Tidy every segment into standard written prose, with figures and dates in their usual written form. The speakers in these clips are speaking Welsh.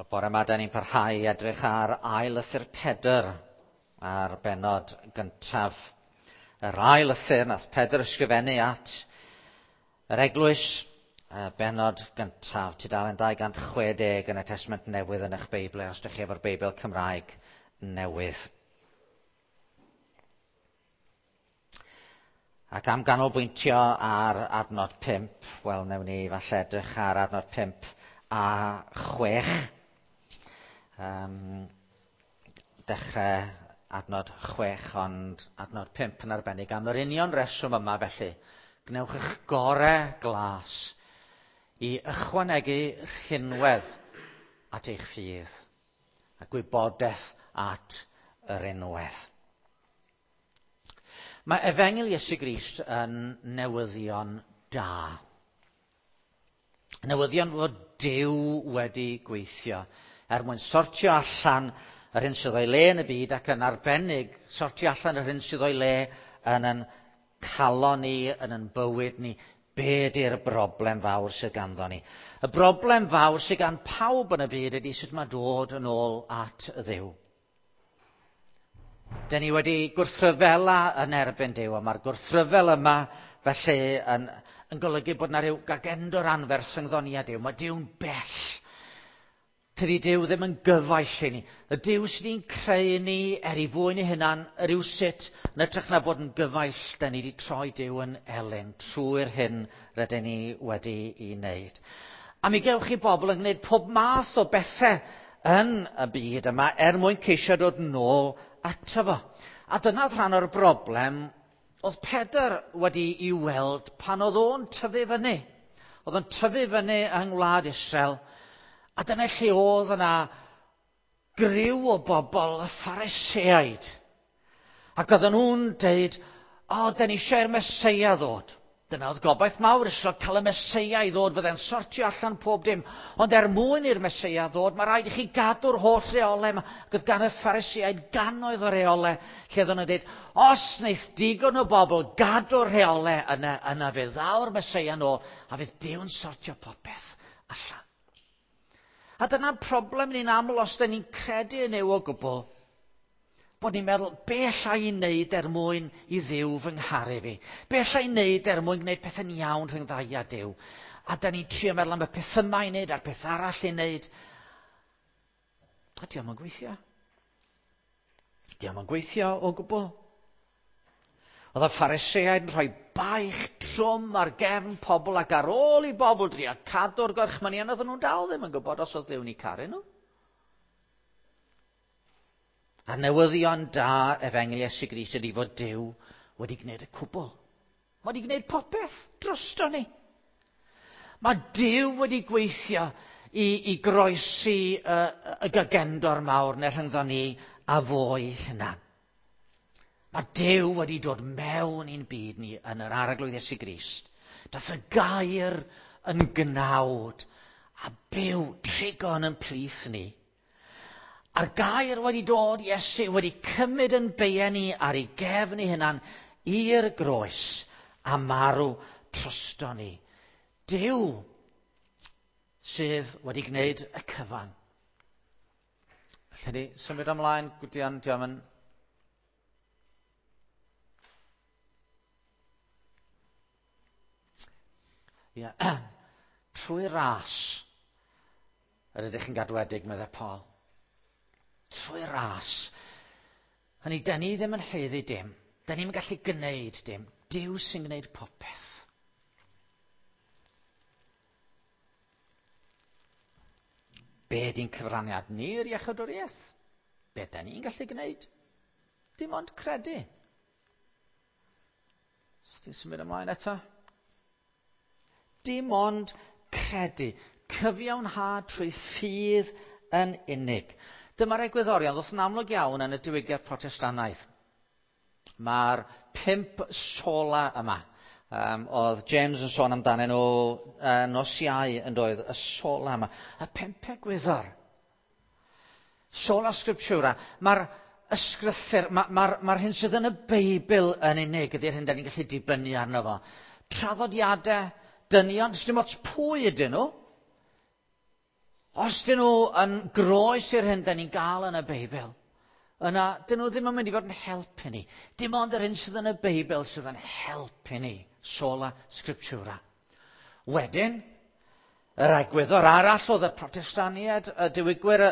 Wel, bore yma, da ni'n parhau i edrych ar ail lythyr Pedr a'r bennod gyntaf. Yr ail lythyr nath Pedr ysgrifennu at yr eglwys, y bennod gyntaf, tudalen 260 yn y Testament Newydd yn eich Beibl, os ydych chi efo'r Beibl Cymraeg newydd. Ac am ganolbwyntio ar adnod 5, wel, newn ni falle edrych ar adnod 5 a 6. Dechrau adnod 6, ond adnod 5 yn arbennig am yr union reswm yma felly. Gwnewch eich gorau glas i ychwanegu rhinwedd at eich ffydd a gwybodaeth at yr unwedd. Mae Efengyl Iesu Grist yn newyddion da. Newyddion fod Duw wedi gweithio er mwyn sortio allan yr hyn sydd o'i le yn y byd ac yn arbennig sortio allan yr hyn sydd o'i le yn yn calon ni, yn yn bywyd ni. Be ydy'r broblem fawr sydd ganddo ni? Y broblem fawr sydd gan pawb yn y byd ydy sut mae dod yn ôl at Dduw. Dyn ni wedi gwrthryfela yn erbyn Duw, a mae'r gwrthryfel yma felly yn, yn golygu bod yna rhyw gagendor anferth rhyngddo ni a Duw. Mae Duw'n bell. Tydi Duw ddim yn gyfaill i ni. Y Duw sydd wedi'n creu ni er ei fwyn ei hunan, rywsut, yn hytrach na bod yn gyfaill, da ni wedi troi Duw yn elyn trwy'r hyn rydyn ni wedi ei wneud. A mi gewch chi bobl yn gwneud pob math o bethau yn y byd yma er mwyn ceisio dod nôl ato fo. A dyna oedd rhan o'r broblem oedd Pedr wedi i weld pan oedd o'n tyfu fyny. Oedd o'n tyfu fyny yng ngwlad Israel, a dyna lle oedd yna griw o bobl, y Phariseaid. Ac oedden nhw'n deud, o, da ni eisiau i'r Meseia ddod. Dyna oedd gobaith mawr Israel, cael y Meseia i ddod, fydde'n sortio allan pob dim. Ond er mwyn i'r Meseia ddod, mae rhaid i chi gadw'r holl reolau yma. Ac oedd gan y Phariseaid gannoedd o reolau, lle oedden nhw'n dweud, os wneith digon o bobl gadw'r reolau yna, yna fe ddaw'r Meseia nôl, a fydd Duw'n sortio popeth allan. A dyna'n problem ni'n aml os da ni'n credu yn Nuw o gwbl, bod ni'n meddwl, be alla i wneud er mwyn i Dduw fy ngharu fi? Be alla i wneud er mwyn gwneud pethau'n iawn rhwng ddau a Duw? A da ni'n trio meddwl am y peth yma i wneud a'r peth arall i wneud. A dio'm yn gweithio. Dio'm yn gweithio o gwbl. Oedd y Phariseaid yn rhoi baich trwm ar gefn pobl ac ar ôl i bobl drio cadw'r gorchmynion, oedden nhw'n dal ddim yn gwybod os oedd Duw'n eu caru nhw. A newyddion da Efengyl Iesu Grist ydy fod Duw wedi gwneud y cwbl. Mae wedi gwneud popeth drosto ni. Mae Duw wedi gweithio i, i groesi y, y gagendor mawr neu rhyngddo ni a fo ei hunan. Mae Duw wedi dod mewn i'n byd ni yn yr Arglwydd Iesu Grist. Dath y gair yn gnawd a byw trigon yn plith ni. A'r gair wedi dod, Iesu wedi cymryd yn beien ni ar ei gefn ei hunan i'r groes a marw trosto ni. Duw sydd wedi gwneud y cyfan. Felly ni symud ymlaen, Gwydion, diolch yn... Ia, trwy ras yr ydych chi'n gadwedig, meddai Paul. Trwy ras. Hynny, da ni ddim yn haeddu dim. Da ni'n gallu gwneud dim. Duw sy'n gwneud popeth. Be di'n cyfraniad ni i'r iechydwriaeth? Be da ni'n gallu gwneud? Dim ond credu. Os ti'n symud ymlaen eto? Dim ond credu. Cyfiawnhad trwy ffydd yn unig. Dyma'r egwyddorion ddoth yn amlwg iawn yn y diwygiad Protestannaidd. Mae'r 5 sola yma. Oedd James yn sôn amdanyn nhw nos Iau yn doedd, y sola yma. Y 5 egwyddor. Sola scriptura. Mae'r ysgrythur, mae'r ma, ma hyn sydd yn y Beibl yn unig ydy'r hyn da ni'n gallu dibynnu arno fo. Traddodiadau, dynion, does dim ots pwy ydyn nhw. Os dyn nhw yn groes i'r hyn da ni'n gael yn y Beibl, yna dyn nhw ddim yn mynd i fod yn helpu ni. Dim ond yr hyn sydd yn y Beibl sydd yn helpu ni. Sola Scriptura. Wedyn, yr egwyddor arall oedd y Protestaniaid, y diwygwyr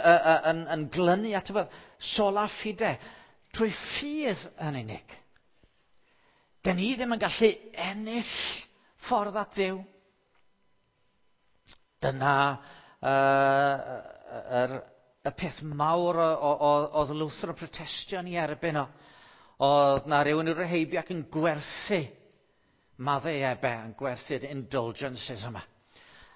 yn glynu at y sola fide, trwy ffydd yn unig. Dyn ni ddim yn gallu ennill ffordd at Dduw. Dyna y peth mawr oedd Luther yn protestio ni erbyn o. Oedd na rhywun i'w heibio ac yn gwerthu maddau ebe, yn gwerthu'r indulgences yma.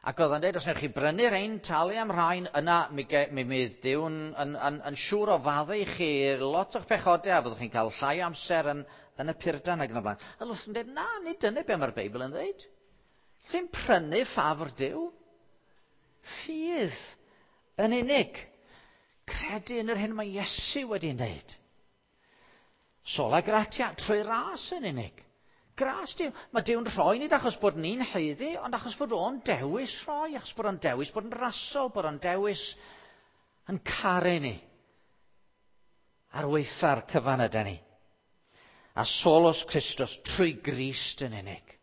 Ac oedd o'n dweud, os wnewch chi brynu rhain, talu am rhain, yna mi, mi fydd Duw'n yn siŵr o faddau i chi lot o'ch pechodau a fyddwch chi'n cael llai o amser yn y purdan ac yn y blaen. A Luther yn dweud, na, nid dyna be mae'r Beibl yn dweud. Chi'n prynu ffafr Duw. Ffydd yn unig. Credu yn yr hyn mae Iesu wedi wneud. Sola gratia, trwy ras yn unig. Gras Duw. Mae Duw'n rhoi nid achos bod ni'n haeddu, ond achos fod o'n dewis rhoi, achos bod o'n dewis bod yn rasol, bod o'n dewis yn caru ni. Ar weitha'r cyfan ydy ni. A solus Christus, trwy Grist yn unig.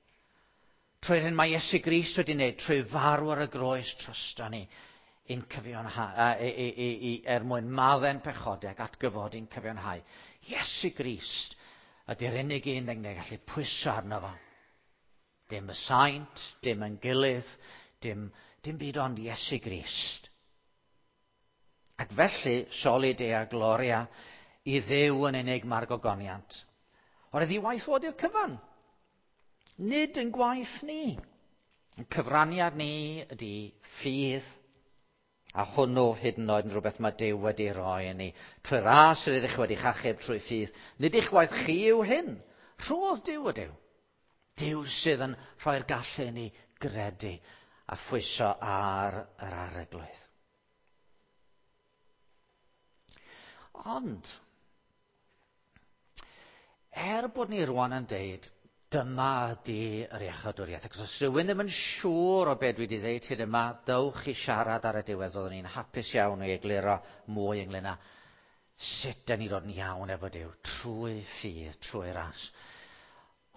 Trwy'r hyn mae Iesu Grist wedi wneud, trwy farw ar y groes drosto ni, i'n cyfiawnhau, er mwyn maddau'n pechodau ac atgyfodi'n cyfiawnhau. Iesu Grist ydy'r unig un ni'n gallu pwyso arno fo. Dim y saint, dim yn gilydd, dim byd ond Iesu Grist. Ac felly, soli dea gloria, i Dduw yn unig mae'r gogoniant. O'r ddiwaith fod i'r cyfan. Nid yn gwaith ni. Yn cyfraniad ni ydy ffydd, a hwnnw hyd yn oed yn rhywbeth mae Duw wedi roi i ni. Trwy ras yr ydych wedi chachub trwy ffydd. Nid eich gwaith chi yw hyn. Rhodd Duw ydyw. Duw sydd yn rhoi'r gallu i ni gredu a phwyso ar yr Arglwydd. Ond, er bod ni rwan yn deud, dyma ydy yr iachawdwriaeth. Ac os rhywun ddim yn siŵr o beth dwi wedi ddeud hyd yma, dewch i siarad ar y diwedd. Oeddwn ni'n hapus iawn i egluro mwy ynglyn â sut dyn ni ddod yn iawn efo Duw, trwy ffydd, trwy ras.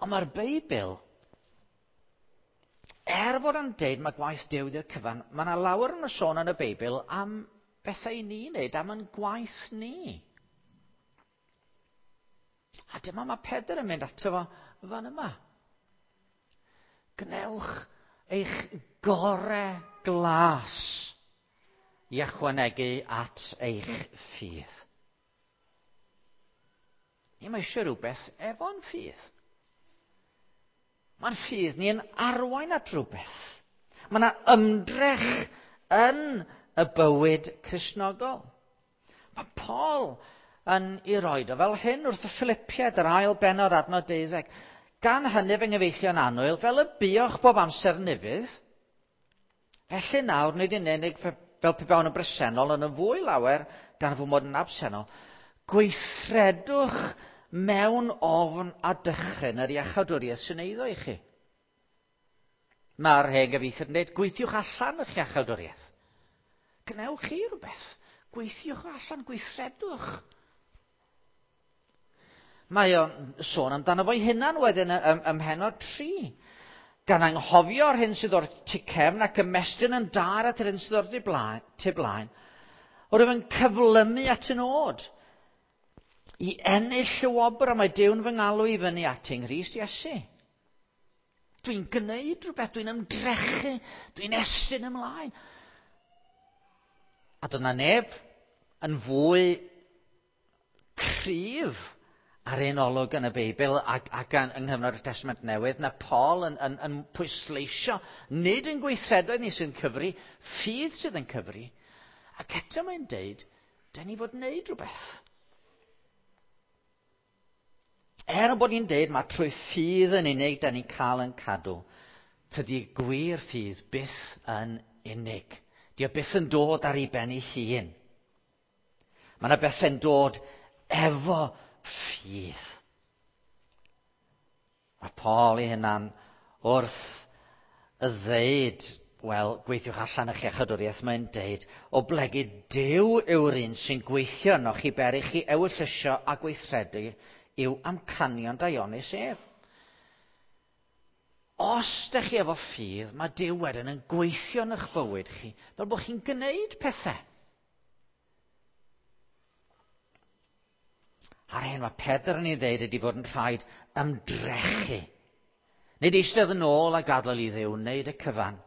Ond mae'r Beibl, er fod yn deud mae gwaith Duw ydy'r cyfan, mae yna lawer yn y sôn yn y Beibl am bethau i ni wneud, am yn gwaith ni. A dyma mae Pedr yn mynd ato fo fan yma. Gwnewch eich gore glas i ychwanegu at eich ffydd. Ni mae eisiau rhywbeth efo'n ffydd. Mae'n ffydd ni'n arwain at rhywbeth. Mae yna ymdrech yn y bywyd Cristnogol. Mae Paul yn ei roed o fel hyn wrth y Philippiaid, yr ail bennod adnod 12. Gan hynny fy nghyfeillion annwyl, fel y buoch bob amser yn ufudd, felly nawr nid yn unig fel pe bawn yn bresennol, ond yn fwy lawer gan fy mod yn absennol, gweithredwch mewn ofn a dychryn yr iachawdwriaeth sy'n eiddo i chi. Mae'r hen gyfieithiad yn dweud, gweithiwch allan eich iachawdwriaeth. Gwnewch chi rhywbeth. Gweithiwch allan, gweithredwch. Mae o'n sôn amdano fo'i hunan wedyn ym mhennod 3. Gan anghofio'r hyn sydd o'r tu cefn ac ymestyn yn dar at yr hyn sydd o'r tu blaen, o'r yn cyflymu at y nod. I ennill y wobr a mae Duw'n fy ngalw i fyny at yng Nghrist Iesu. Dwi'n gwneud rhywbeth, dwi'n ymdrechu, dwi'n estyn ymlaen. A doedd 'na neb yn fwy cryf ar ein olwg yn y Beibl ac yng nghyfnod y Testament Newydd na Paul yn pwysleisio nid yn gweithredoedd ni sy'n cyfri, ffydd sydd yn cyfri, ac eto mae'n deud, dyn ni fod wneud rhywbeth. Er bod ni'n deud mae trwy ffydd yn unig dyn ni'n cael yn cadw, tydi gwir ffydd byth yn unig. Di o byth yn dod ar ei ben ei hun. Mae yna bethau'n dod efo ffydd. Mae Paul ei hunan wrth y ddeud wel, gweithiwch allan eich iachadwriaeth, mae'n deud, o blegid Duw yw'r un sy'n gweithio ynoch i beri chi ewyllysio a gweithredu i'w amcanion daionus ef. Os ydych chi efo ffydd, mae Duw wedyn yn gweithio yn eich bywyd chi, fel bod chi'n gwneud pethau. A'r hyn mae Pedr yn ei ddeud ydy fod yn rhaid ymdrechu. Nid eistedd yn ôl a gadael i Dduw wneud y cyfan.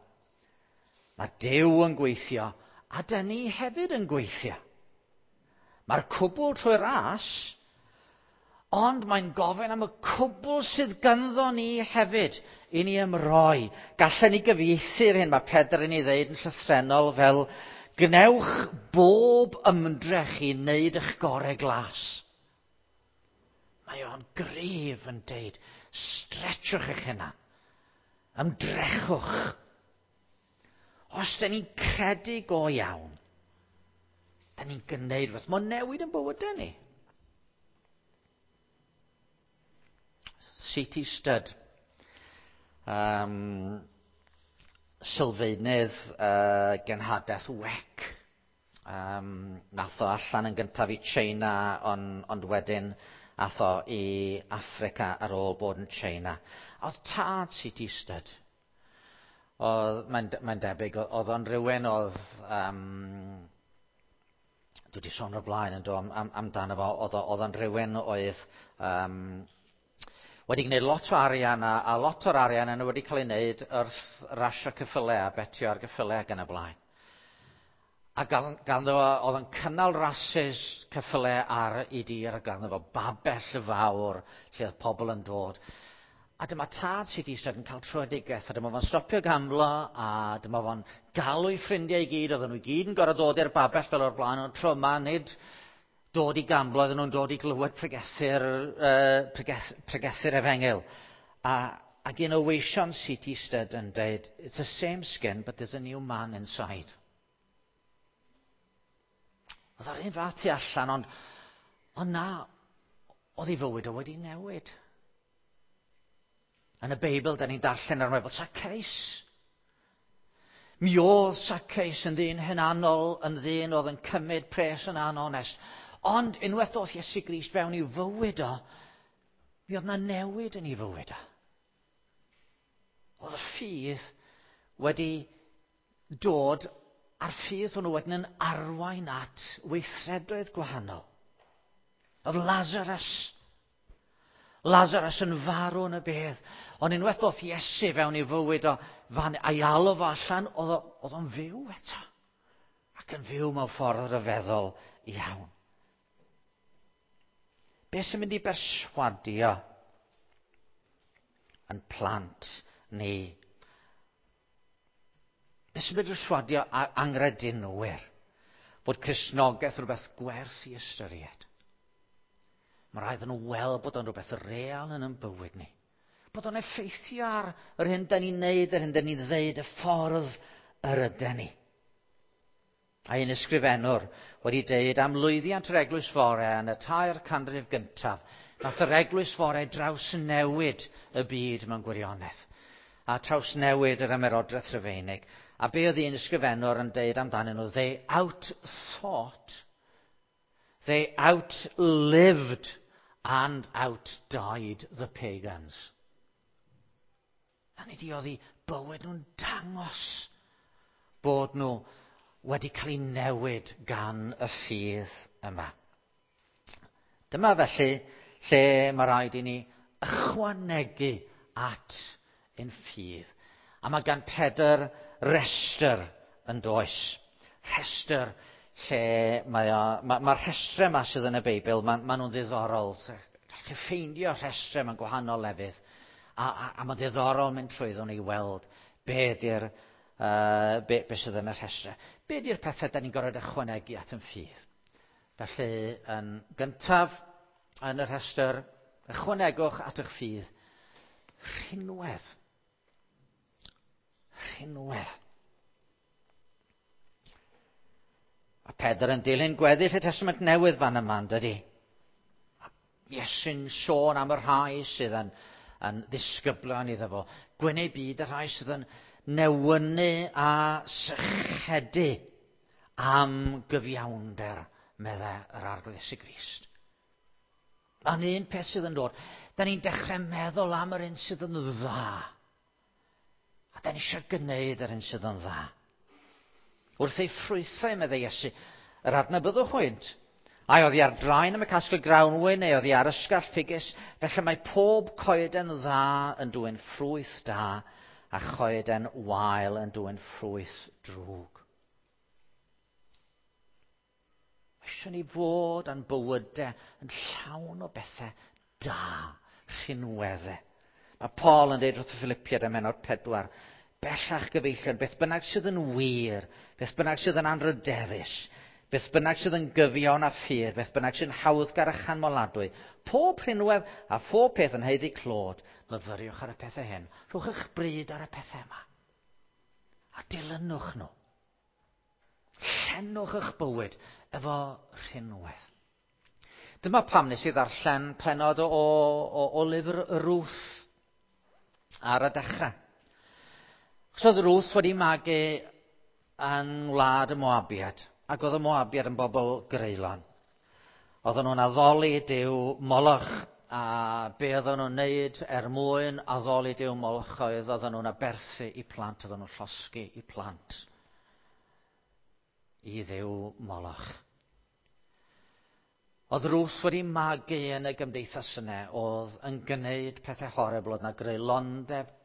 Mae Duw yn gweithio, a dyn ni hefyd yn gweithio. Mae'r cwbl trwy ras, ond mae'n gofyn am y cwbl sydd ganddo ni hefyd i ni ymroi. Gallen ni gyfieithu'r hyn mae Pedr yn ei ddeud yn llythrennol fel gwnewch bob ymdrech i wneud eich gorau glas. Mae o'n gryf yn deud, stretchwch eich hunan, ymdrechwch. Os da ni'n credu go iawn, da ni'n gwneud rhywbeth. Mae'n newid yn bywydau ni. C.T. Studd, sylfaenydd genhadaeth WEC. Nath o allan yn gyntaf i China, ond wedyn ath o i Affrica ar ôl bod yn China. Oedd tad C.T. Studd. Mae'n debyg, oedd o'n rhywun oedd... dwi wedi sôn o'r blaen yn do amdano fo, oedd o'n rhywun oedd wedi gwneud lot o arian, a lot o'r arian yna wedi cael ei wneud wrth rasio ceffylau a betio ar geffylau ac yn y blaen. A ganddo fo, oedd yn cynnal rasys ceffylau ar ei dir, a ganddo fo babell fawr lle oedd pobl yn dod. A dyma tad C.T. Studd yn cael tröedigaeth, a dyma fo'n stopio gamblo, a dyma fo'n galw ei ffrindiau i gyd, oedden nhw i gyd yn gorfod dod i'r babell fel o'r blaen, ond tro yma nid dod i gamblo, oedden nhw'n dod i glywed pregethu'r efengyl. Ac un o weision C.T. Studd yn dweud, it's the same skin, but there's a new man inside. Oedd o'r un fath tu allan, ond na, oedd ei fywyd o wedi newid. Yn y Beibl, da ni'n darllen ar fel Zacchaeus. Mi oedd Zacchaeus yn ddyn hunanol, yn ddyn oedd yn cymryd pres yn anonest. Ond unwaith ddoth Iesu Grist fewn i'w fywyd o, mi oedd na newid yn ei fywyd o. Oedd y ffydd wedi dod, a'r ffydd hwnnw wedyn yn arwain at weithredoedd gwahanol. Oedd Lazarus yn farw yn y bedd. Ond unwaith ddoth Iesu fewn i'w fywyd o fan, a'i alw fo allan, oedd o'n fyw eto. Ac yn fyw mewn ffordd ryfeddol iawn. Be sy'n mynd i berswadio yn plant ni? Be sy'n mynd i berswadio angredinwyr bod Cristnogaeth rhywbeth gwerth i ystyried? Mae rhaid nhw weld bod o'n rhywbeth real yn ein bywyd ni. Bod o'n effeithio ar yr hyn da ni'n neud, yr hyn da ni'n ddeud, y ffordd yr ydyn ni. A un ysgrifennwr wedi deud am lwyddiant yr eglwys fore yn y 3 canrif gyntaf, nath yr eglwys fore drawsnewid y byd mewn gwirionedd, a trawsnewid yr ymerodraeth Rufeinig. A be oedd un ysgrifennwr yn deud amdanyn nhw? They outthought, they outlived and outdied the pagans. A nid i oedd eu bywyd nhw'n dangos bod nhw wedi cael eu newid gan y ffydd yma. Dyma felly lle mae rhaid i ni ychwanegu at ein ffydd. A mae gan Pedr restr yn does. Rhestr lle mae'r rhestrau yma sydd yn y Beibl, ma nhw'n ddiddorol. Gallwch chi ffeindio rhestrau mewn gwahanol lefydd. A mae'n ddiddorol mynd trwyddo nhw i weld be ydy'r be sydd yn y rhestrau. Be ydy'r pethau da ni'n gorfod ychwanegu at yn ffydd? Felly, yn gyntaf, yn y rhestr, ychwanegwch at eich ffydd rhinwedd. Rhinwedd. A Pedr yn dilyn gweddill y Testament Newydd fan yma, yn dydi? A Iesu'n sôn am y rhai sydd yn ddisgyblion iddo fo. Gwyn eu byd y rhai sydd yn newynu a sychedu am gyfiawnder, meddai yr Arglwydd Iesu Grist. Ond un peth sydd yn dod, da ni'n dechrau meddwl am yr un sydd yn dda. A da ni eisiau gwneud yr un sydd yn dda. Wrth ei ffrwythau, meddai Iesu, yr adnabyddwch hwynt. Ai oddi ar draen am y casglu grawnwin, neu oddi ar ysgall ffigys, felly mae pob coeden dda yn dwyn ffrwyth da, a choeden wael yn dwyn ffrwyth drwg. Mae eisiau ni fod a'n bywydau yn llawn o bethau da, rhinweddau. Mae Paul yn dweud wrth y Philippiaid ym mhennod 4, bellach gyfeillion, beth bynnag sydd yn wir, beth bynnag sydd yn anrydeddus, beth bynnag sydd yn gyfiawn a ffyr, beth bynnag sy'n hawddgar a chanmoladwy, pob rhinwedd a phob peth yn haeddu clod, myfyriwch ar y pethau hyn. Rhowch eich bryd ar y pethau yma. A dilynwch nhw. Llenwch eich bywyd efo rhinwedd. Dyma pam nes i ddarllen pennod o lyfr Ruth ar y dechrau. Achos oedd Ruth wedi magu yn wlad y Moabiad, ac oedd y Moabiad yn bobl greulon. Oedden nhw'n addoli Duw Moloch, a be oedden nhw'n neud er mwyn addoli Duw Moloch oedd oedden nhw'n aberthu i plant, oedden nhw'n llosgi i plant i Dduw Moloch. Oedd Ruth wedi magu yn y gymdeithas yna, oedd yn gwneud pethau horrible, oedd yna greulondeb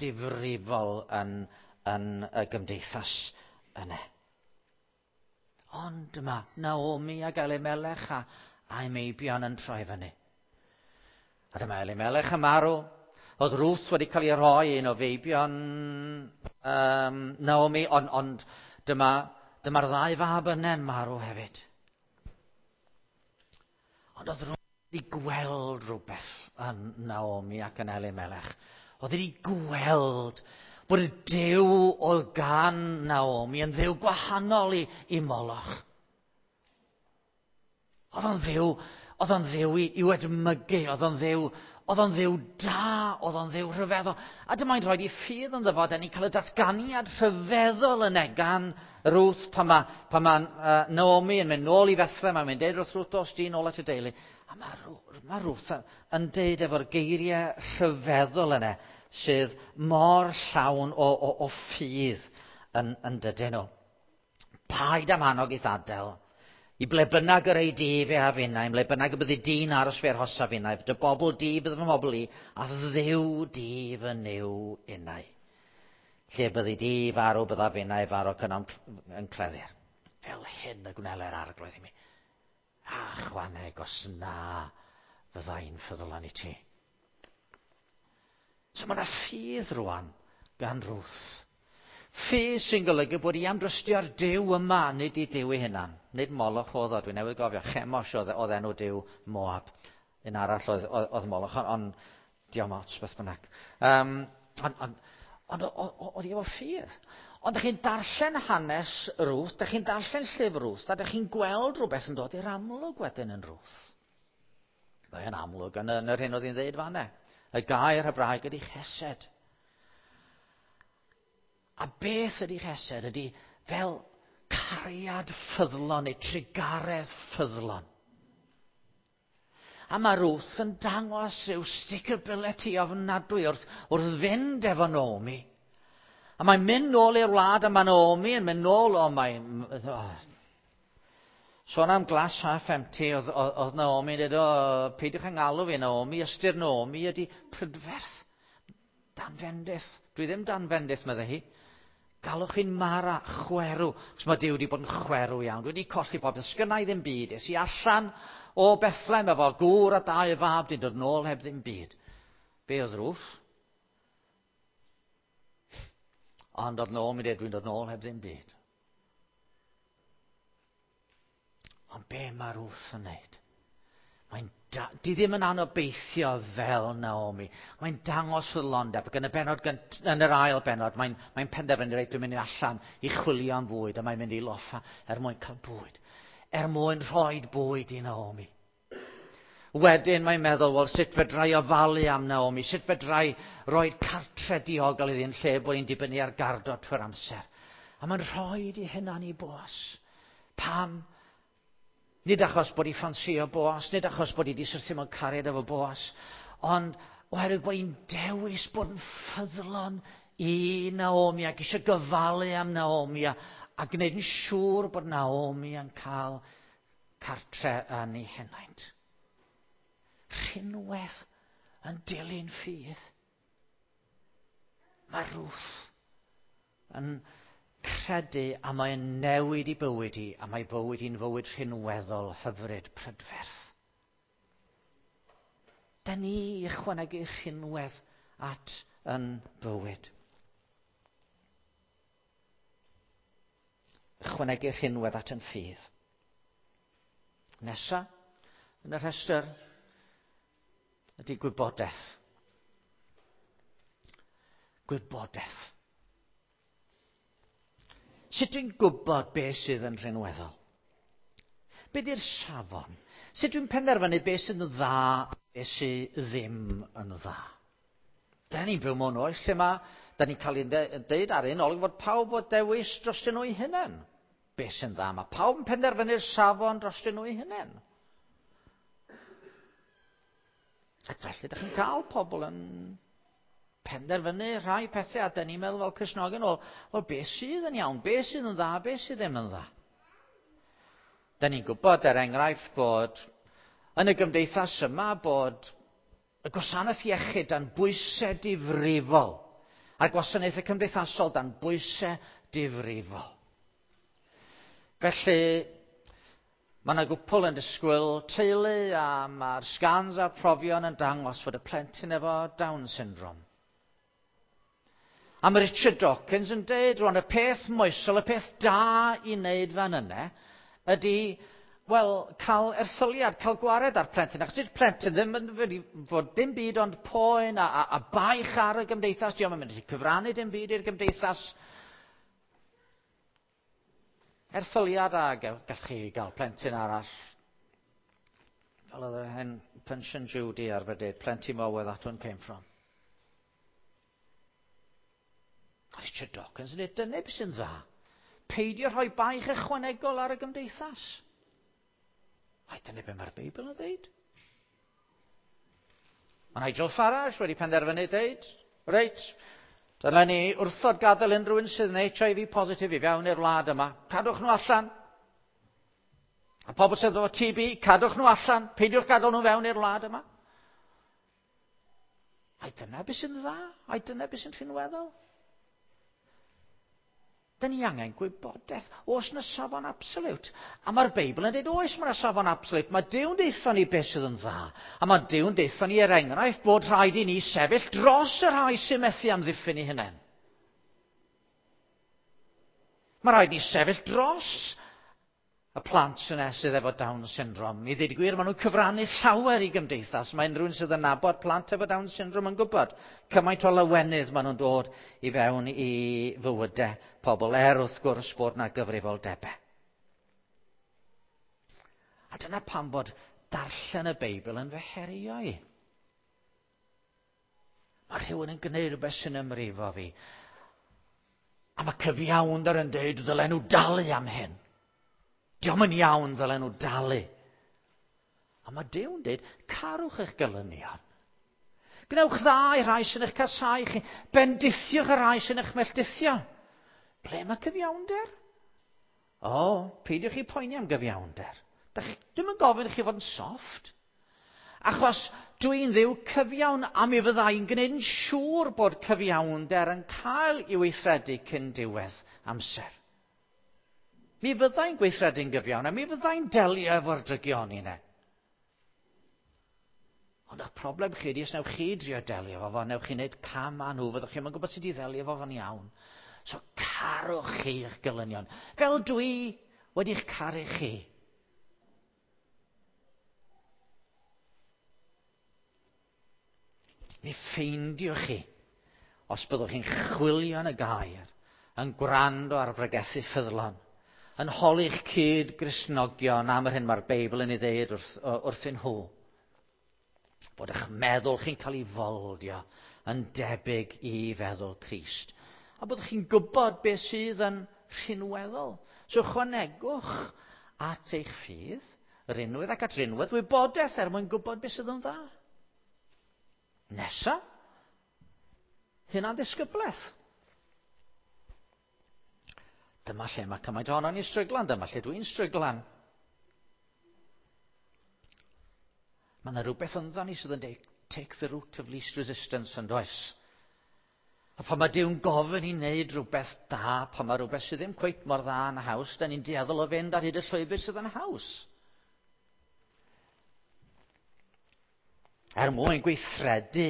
difrifol yn y gymdeithas yna. Ond dyma Naomi ac Elimelech a'i meibion yn troi fyny. A dyma Elimelech yn marw. Oedd Ruth wedi cael ei rhoi un o feibion Naomi, ond dyma'r ddau fab yna'n marw hefyd. Ond oedd Ruth wedi gweld rhywbeth yn Naomi ac yn Elimelech. Oedd wedi gweld bod y Duw oedd gan Naomi yn Dduw gwahanol i Moloch. Oedd o'n Dduw i'w edmygu, oedd o'n Dduw da, oedd o'n Dduw rhyfeddol. A dyma'n rhoi i ffydd ynddo fo, da ni'n cael y datganiad rhyfeddol yna gan Ruth pan mae Naomi yn mynd nôl i Bethlehem, a mae'n deud wrth Ruth, dos di nôl at y deulu. A mae Ruth yn deud efo'r geiriau rhyfeddol yna sydd mor llawn o ffydd yn dydyn nhw. Paid am annog i'th adael. I ble bynnag yr ei di fe a finnau, i ble bynnag y byddi di'n aros fe arhosa finnau, dy bobl di bydd fy mobl i, a Dduw di fy Nuw innau. Lle byddi di farw bydda finnau farw cynnal yn cleddir. Fel hyn y gwneler Arglwydd i mi. A chwaneg os na fyddai'n ffyddlon i ti. So mae yna ffydd rwan gan Ruth. Ffydd sy'n golygu bod i am drystio'r Duw yma, nid i Duw ei hunan. Nid Moloch oedd o, dwi newydd gofio, Chemosh oedd enw Duw Moab. Un arall oedd Moloch, ond diolch ots beth bynnag. Ond oedd hi efo ffydd. Ond ydych chi'n darllen hanes Ruth, ydych chi'n darllen llyfr Ruth, a ydych chi'n gweld rhywbeth yn dod i'r amlwg wedyn yn Ruth. Mae'n amlwg yn yr hyn oedd hi'n dweud fan'na. Y gair Hebraeg ydy chesed. A beth ydy chesed ydy fel cariad ffyddlon neu trugaredd ffyddlon. A mae Ruth yn dangos rhyw stickability ofnadwy wrth fynd efo Naomi. A mae'n mynd nôl i'r wlad a mae Naomi yn mynd nôl o mae'n... Sôn am glass half empty, oedd Naomi yn dweud, o, peidiwch yn galw fi Naomi, ystyr Naomi ydy prydferth. Dan fendith. Dwi ddim dan fendith, meddai hi. Galwch chi'n Mara, chwerw. Chos mae Duw wedi bod yn chwerw iawn. Dwi wedi colli popeth. Sgynna i ddim byd. Es i allan o Bethlehem efo gŵr a dau fab, dwi'n dod nôl heb ddim byd. Be oedd Ruth? Ond oedd Naomi dweud, dwi'n dod nôl heb ddim byd. Ond be mae Ruth yn neud? Di ddim yn anobeithio fel Naomi. Mae'n dangos ffyddlondeb ac yn y bennod yn yr ail bennod mae'n penderfynu reit dwi'n mynd allan i chwilio am fwyd a mae'n mynd i loffa er mwyn cael bwyd. Er mwyn rhoi bwyd i Naomi. Wedyn mae'n meddwl, wel, sut fedrai ofalu am Naomi? Sut fedrai roi cartre diogel iddi yn lle bod hi'n dibynnu ar gardo trwy'r amser? A mae'n rhoi i hunan i Boas. Pam? Nid achos bod hi ffansio Boas, nid achos bod hi wedi syrthio mewn cariad efo Boas, ond oherwydd bod hi'n dewis bod yn ffyddlon i Naomi ac eisiau gofalu am Naomi a, a gwneud yn siŵr bod Naomi yn cael cartre yn ei henaint. Rhinwedd yn dilyn ffydd. Mae Ruth yn credu a mae'n newid i bywyd hi, a mae bywyd hi'n fywyd rhinweddol hyfryd prydferth. Da ni ychwanegu rhinwedd at yn bywyd. Ychwanegu rhinwedd at yn ffydd. Nesa, yn y rhestr, ydy gwybodaeth. Gwybodaeth. Sut dwi'n gwybod beth sydd yn rhinweddol? Be di'r safon? Sut dwi'n penderfynu beth sydd yn dda a beth sydd ddim yn dda? Da ni'n byw mewn oes lle mae, da ni'n cael ei deud ar un olwg fod pawb o dewis drostyn nhw'i hunain. Beth sy'n dda? Mae pawb yn penderfynu'r safon drostyn nhw'i hunain. Ac felly, ydych chi'n cael pobl yn penderfynu rhai pethau, a dyn ni'n meddwl fel Cristnogion, wel, wel, beth sydd yn iawn, beth sydd yn dda, beth sydd ddim yn dda. Dyn ni'n gwybod, er enghraifft, bod yn y gymdeithas yma bod y gwasanaeth iechyd dan bwysau difrifol, a'r gwasanaethau cymdeithasol dan bwysau difrifol. Felly, Mae yna gwpl yn disgwyl teulu a mae'r scans a'r profion yn dangos fod y plentyn efo Down syndrome. A mae Richard Dawkins yn deud, rwan, y peth moesol, y peth da i wneud fan yna, ydy, wel, cael erthyliad, cael gwared ar plentyn. Achos dydy'r plentyn ddim yn mynd i fod dim byd ond poen a, a, a baich ar y gymdeithas. Diolch yn mynd i cyfrannu dim byd i'r gymdeithas. Erthyliad a gallwch chi gael plentyn arall. Fel oedd hen Pension Judy arfer dweud, plenty more where that one came from. A Richard Dawkins yn dweud, dyna beth sy'n dda. Peidio rhoi baich ychwanegol ar y gymdeithas. Ai, dyna beth mae'r Beibl yn dweud. Mae Nigel Farage wedi penderfynu dweud, reit, dylen ni wrthod gadael unrhyw un sydd yn HIV positif i fewn i'r wlad yma. Cadwch nhw allan. A pobl sydd efo TB, cadwch nhw allan. Peidiwch gadael nhw fewn i'r wlad yma. Ai dyna beth sy'n dda? Ai dyna beth sy'n rhinweddol? Dyn ni angen gwybodaeth. Oes na safon absolute? A mae'r Beibl yn dweud, oes mae yna safon absolute. Mae Duw'n deitho ni beth sydd yn dda. A mae Duw'n deitho ni er enghraifft bod rhaid i ni sefyll dros y rhai sy'n methu amddiffyn eu hunain. Mae rhaid ni sefyll dros y plant yna sydd efo Down syndrome. I ddweud y gwir, maen nhw'n cyfrannu llawer i gymdeithas. Mae unrhyw un sydd yn nabod plant efo Down syndrome yn gwybod cymaint o lawenydd maen nhw'n dod i fewn i fywydau pobl, er wrth gwrs bod na gyfrifoldebau. A dyna pam bod darllen y Beibl yn fy herio i. Mae rhywun yn gwneud rhywbeth sy'n ymrifo fi. A mae cyfiawnder yn dweud ddylen nhw dalu am hyn. Diolch yn iawn ddylen nhw dalu. A mae Duw'n dweud, carwch eich gelynion. Gwnewch dda i rhai sy'n eich casau chi. Bendithiwch y rhai sy'n eich melltithio. Ble mae cyfiawnder? O, peidiwch chi poeni am gyfiawnder. Dwi'm yn gofyn i chi fod yn soft. Achos dwi'n ddiw cyfiawn a mi fydda i'n gwneud yn siŵr bod cyfiawnder yn cael ei weithredu cyn diwedd amser. Mi fydda i'n gweithredu'n gyfiawn a mi fydda i'n delio efo'r drygioni yna. Ond eich problem chi ydy, os newch chi drio delio efo fo, newch chi wneud cam â nhw, fyddwch chi'n gwybod sut i ddelio efo fo'n iawn. So carwch chi eich gelynion. Fel dwi wedi'ch caru chi. Mi ffeindiwch chi, os byddwch chi'n chwilio yn y gair, yn gwrando ar bregethu ffyddlon, yn holi'ch cyd Gristnogion am yr hyn mae'r Beibl yn ei ddeud wrth, wrthyn nhw. Bod eich meddwl chi'n cael ei foldio yn debyg i feddwl Crist. A bod chi'n gwybod beth sydd yn rhinweddol. So chwanegwch at eich ffydd, rinwedd ac at rinwedd wybodaeth er mwyn gwybod beth sydd yn dda. Nesa, hynna'n ddisgyblaeth. Dyma lle mae cymaint ohono ni'n stryglan, dyma lle dwi'n stryglan. Mae yna rhywbeth ynddo ni sydd yn dweud, take the route of least resistance, yn does? A pan mae Duw'n gofyn i wneud rhywbeth da, pan mae rhywbeth sydd ddim cweit mor dda yn haws, da ni'n dueddol o fynd ar hyd y llwybr sydd yn haws. Er mwyn gweithredu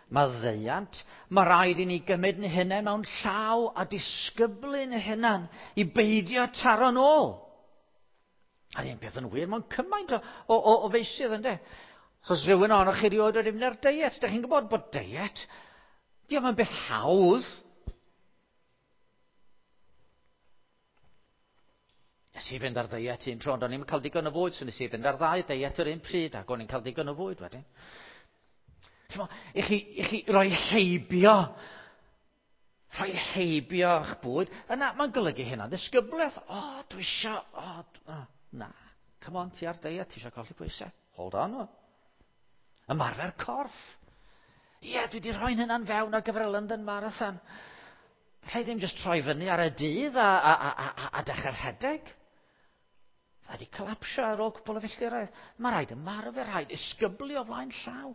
maddeuant, mae rhaid i ni gymryd yn hunain mewn llaw a disgyblu'n hunan i beidio taro'n ôl. A'r un peth yn wir mewn cymaint o, o, o, o feysydd, ynddo? Os oes rhywun ohonoch chi rioed wedi mynd ar deiet, ydych chi'n gwybod bod deiet, diolch yn beth hawdd. Nes i fynd ar ddeiet un tro, ond o'n i'n cael digon o fwyd, so nes i fynd ar ddau deiet yr un pryd, ac o'n i'n cael digon o fwyd wedyn. I chi, i chi roi heibio, rhoi heibio eich bwyd, yna mae'n golygu hynna. Ddisgyblaeth, o, oh, dwi isio, o, oh, oh, na, come on, ti ar deiet, ti eisiau colli pwysau. Hold on. Ymarfer corff. Ie, yeah, dwi wedi rhoi'n hynna'n fewn ar gyfer y London Marathon. Alla i ddim jyst troi fyny ar y dydd a, a, a, a, a dechrau rhedeg. Fydda wedi colapsio ar ôl cwpl o filltiroedd. Mae rhaid ymarfer, rhaid isgyblu o flaen llaw.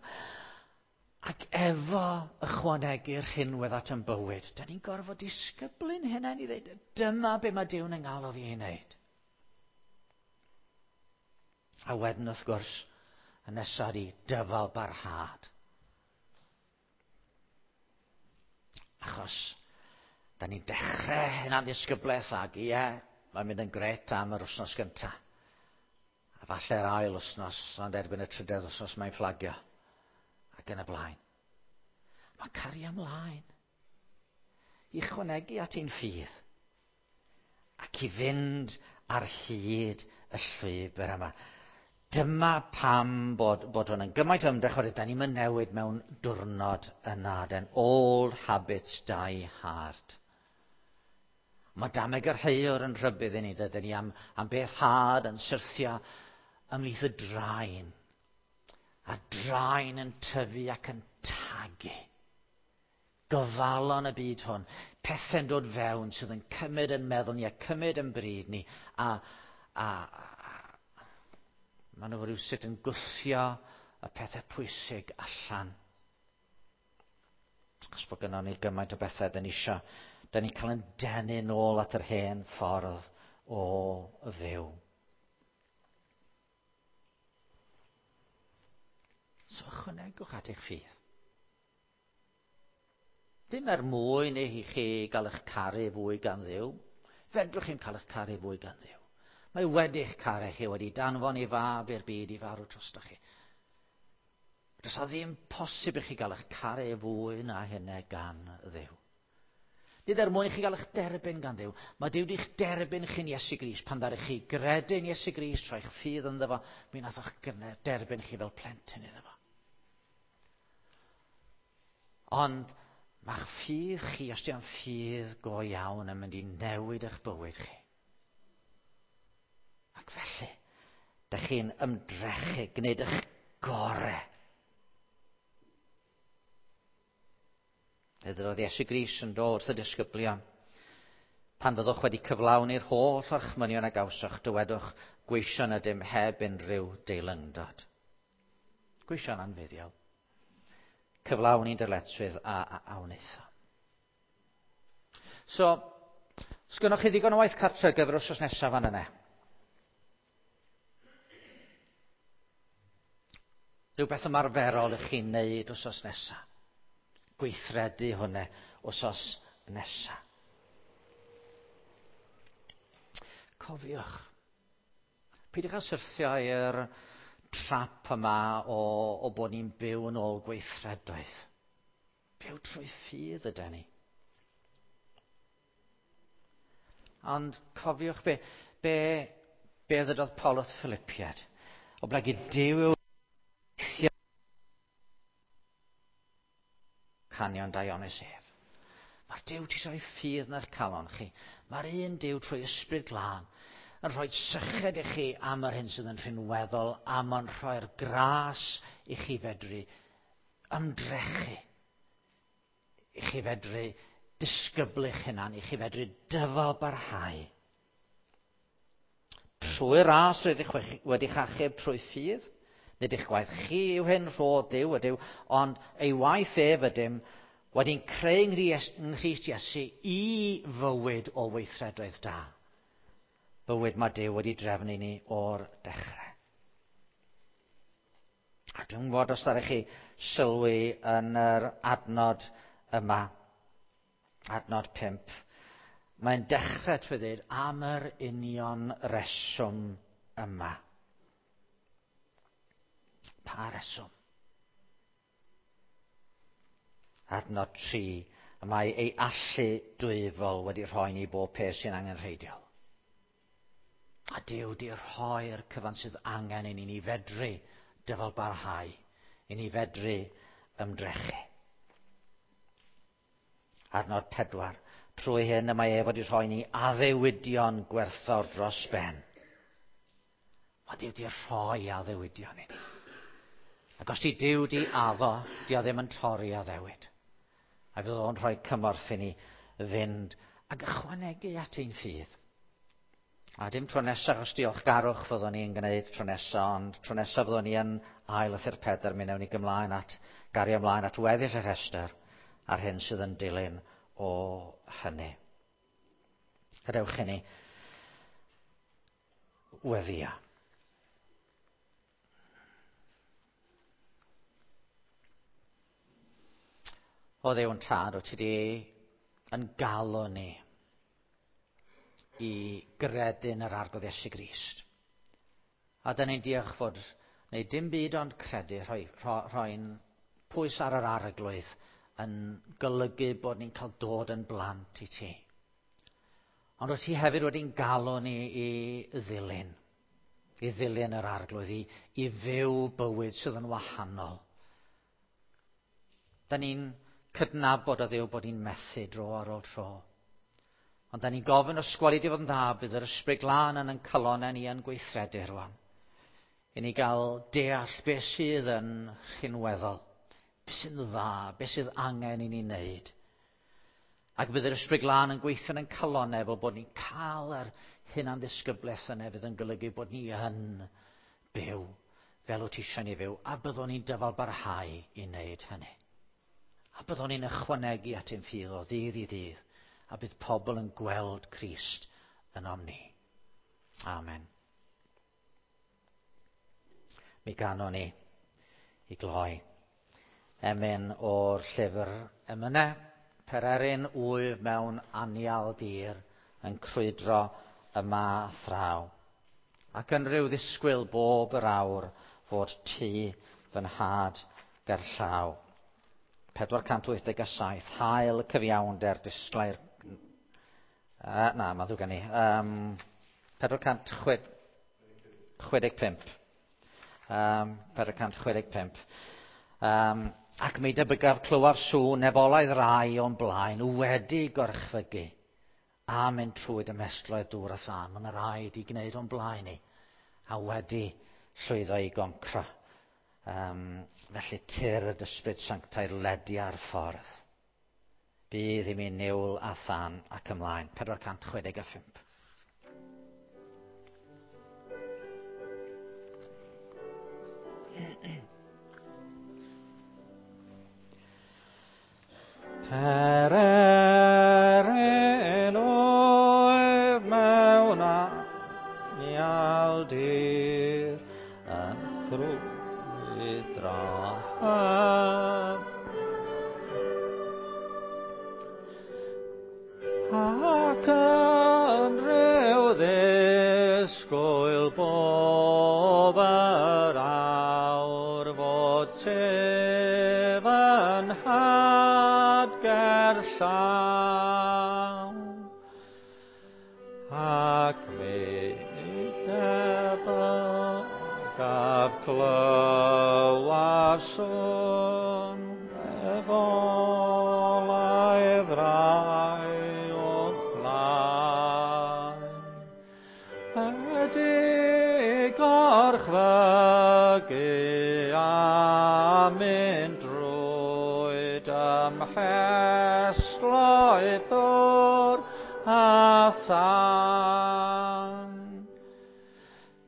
Ac efo ychwanegu'r rhinwedd at yn bywyd, da ni'n gorfod disgyblu'n hunain i ddweud, dyma be mae Duw'n yng ngalw fi i wneud. A wedyn wrth gwrs, y nesaf ydi dyfal barhad. Achos, da ni'n dechrau hynna'n ddisgyblaeth ac ie, mae'n mynd yn gret am yr wythnos gyntaf. A falle'r ail wythnos, ond erbyn y trydedd wythnos mae'n fflagio. Ac yn y blaen. Mae cario ymlaen. I chwanegu at ein ffydd. Ac i fynd ar hyd y llwybr yma. Dyma pam bod, bod hwn yn gymaint o ymdrech oherwydd da ni'n newid mewn diwrnod yna. Den old habits die hard. Mae dameg yr heiwr yn rhybudd i ni, dydyn ni am, am beth had yn syrthio ymhlith y draen. A draen yn tyfu ac yn tagu. Gofalon y byd hwn. Pethau'n dod fewn sydd yn cymryd yn meddwl ni a cymryd yn bryd ni. A, a, a maen nhw rhywsut yn gwthio y pethau pwysig allan. Achos bod gynnon ni gymaint o bethau dyn ni isio. Dyn ni'n cael yn denu nôl at yr hen ffordd o fyw. So ychwanegwch at eich ffydd. Dim er mwyn i chi gael eich caru fwy gan Dduw. Fedrwch chi'n cael eich caru fwy gan Dduw. Mae wedi'ch caru chi, wedi danfon ei fab i'r byd i farw drostoch chi. Does a ddim posib i chi gael eich caru fwy na hynny gan Dduw. Nid er mwyn i chi gael eich derbyn gan Dduw. Mae Duw wedi'ch derbyn chi'n Iesu Grist. Pan ddaru chi gredu'n Iesu Grist, rhoi'ch ffydd ynddo fo, mi nath o'ch derbyn chi fel plentyn iddo fo. Ond mae'ch ffydd chi, os di'n ffydd go iawn, yn mynd i newid eich bywyd chi. Ac felly, dych chi'n ymdrechu gwneud eich gorau. Fe ddydodd Iesu Grist yn dod wrth y disgyblion. Pan fyddwch wedi cyflawni'r holl orchmynion a gawsoch, dywedwch, gweision ydym heb unrhyw deilyngdod. Gweision anfuddiol. Cyflawni'n dyletswydd a, a, a wnaethom. So, sgynnoch chi ddigon o waith cartre ar gyfer wythnos nesaf fan yna? Rhywbeth ymarferol i chi'n neud wythnos nesaf. Gweithredu hwnna wythnos nesaf. Cofiwch, peidiwch â syrthio i'r trap yma o, o bod ni'n byw yn ôl gweithredoedd. Byw trwy ffydd ydy ni. Ond cofiwch be, be, be ddydodd Paul wrth Philippiad. O blegid Duw yw Canion daionus ef. Mae'r Duw ti rhoi ffydd yn eich calon chi. Mae'r un Duw trwy Ysbryd Glân yn rhoi syched i chi am yr hyn sydd yn rhinweddol, a mae'n rhoi'r gras i chi fedru ymdrechu, i chi fedru disgyblu'ch hunan, i chi fedru dyfal barhau. Trwy ras rydych wedi'ch achub trwy ffydd, nid eich gwaith chi yw hyn, rhodd Duw ydyw, ond ei waith ef ydym wedi'n creu yng Nghrist Iesu i fywyd o weithredoedd da. Bywyd mae Duw wedi drefnu ni o'r dechrau. A dwi'n gwybod os ddaru chi sylwi yn yr adnod yma, adnod 5, mae'n dechrau trwy ddweud am yr union reswm yma. Pa reswm? Adnod 3, y mae ei allu dwyfol wedi rhoi ni bob peth sy'n angenrheidiol. A Duw di rhoi'r cyfan sydd angen i ni ni fedru dyfal barhau, i ni fedru ymdrechu. Adnod 4, trwy hyn y mae ef wedi rhoi ni addewidion gwerthfawr dros ben. Mae Duw di rhoi addewidion i ni. Ac os di Duw di addo, di o ddim yn torri addewid. A fydd o'n rhoi cymorth i ni fynd ac ychwanegu at ein ffydd. A dim tro nesaf, os diolchgarwch fyddwn ni'n gwneud tro nesaf, ond tro nesaf fyddwn ni yn ail lythyr Pedr, mi wnawn ni gymlaen at, gario ymlaen at weddill y rhestr a'r hyn sydd yn dilyn o hynny. Gadewch i ni weddio. O Dduw yn Tad, o ti di yn galw ni i gredu yn yr Arglwydd Iesu Grist. A dyn ni'n diolch fod neu dim byd ond credu, rhoi'n pwys ar yr Arglwydd yn golygu bod ni'n cael dod yn blant i ti. Ond wyt ti hefyd wedi'n galw ni i ddilyn yr Arglwydd, i fyw bywyd sydd yn wahanol. Da ni'n cydnabod o Dduw bod ni'n methu dro ar ôl tro. Ond da ni'n gofyn os gweli di fod yn dda, bydd yr Ysbryd Glân yn ein calonnau ni yn gweithredu rwan. I ni gael deall beth sydd yn rhinweddol, beth sy'n dda, beth sydd angen i ni wneud. Ac bydd yr Ysbryd Glân yn gweithio yn ein calonnau fel bod ni'n cael yr hunanddisgyblaeth yna fydd yn golygu bod ni yn byw fel wyt ti eisiau ni fyw, a byddwn ni'n dyfal barhau i wneud hynny. A byddwn ni'n ychwanegu at ein ffydd o ddydd i ddydd, a bydd pobl yn gweld Crist ynom ni. Amen. Mi ganon ni i gloi emyn o'r llyfr Emynau, Pererin wyf mewn anial dir yn crwydro yma thraw. Ac yn rhyw ddisgwyl bob yr awr fod tŷ fy nhad gerllaw. 487, hael cyfiawnder disglair... Na, mae'n ddrwg gen i. 465. 465. Ac mi debygaf clywaf sŵn nefolaidd rai o'n blaen wedi gorchfygu a mynd trwy dymestloedd dŵr a thân. Mae yna rai wedi gwneud o'n blaen ni a wedi llwyddo i goncro. Felly tyr y ysbryd sanctaidd ledi ar ffordd. Bydd i mi niwl a thân ac ymlaen. 465. Pererin oedd mewn anial dir yn crwydro ac yn rhyw ddisgwyl bob yr awr fod tŷ fy nhad gerllaw. Ac mi debygaf clywaf sŵn nefolaidd dagrau o'th blaen. Ydy gorchfygu a mynd drwy dymhestloedd dŵr a thân.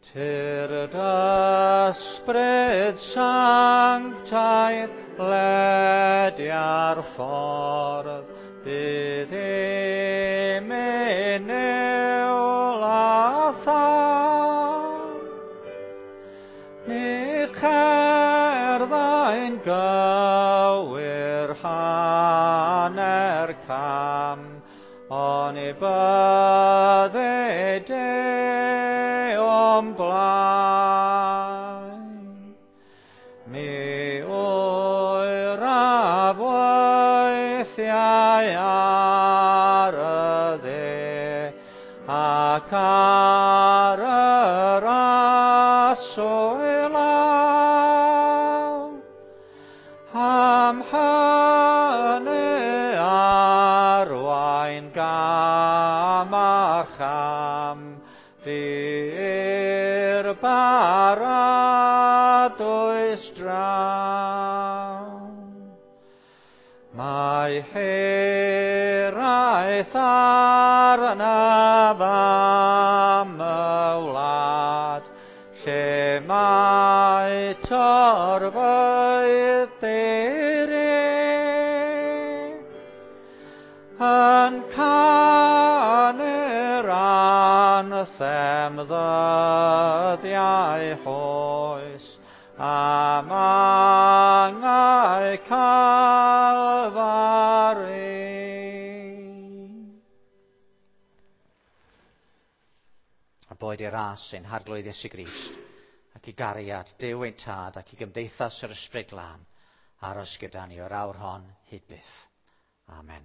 Tyrd ysbryd sanctaidd ledia'r ffordd, bydd i mi niwl a thân. Ni cherddai'n gywir hanner cam, oni bydde di o'm blaen. Mi oeraf weithiau ar y dde ac ar yr aswy law. Am hynny arwain gam a cham fi i'r baradwys draw. Mae hiraeth arnaf am y wlad, lle mae torfeydd diri yn canu'r anthem ddyddiau oes am angau Calfari. A boed i'r ras ein Harglwydd Iesu Grist, ac i gariad Duw ein Tad ac i gymdeithas yr Ysbryd Glân aros gyda ni o'r awr hon hyd byth. Amen.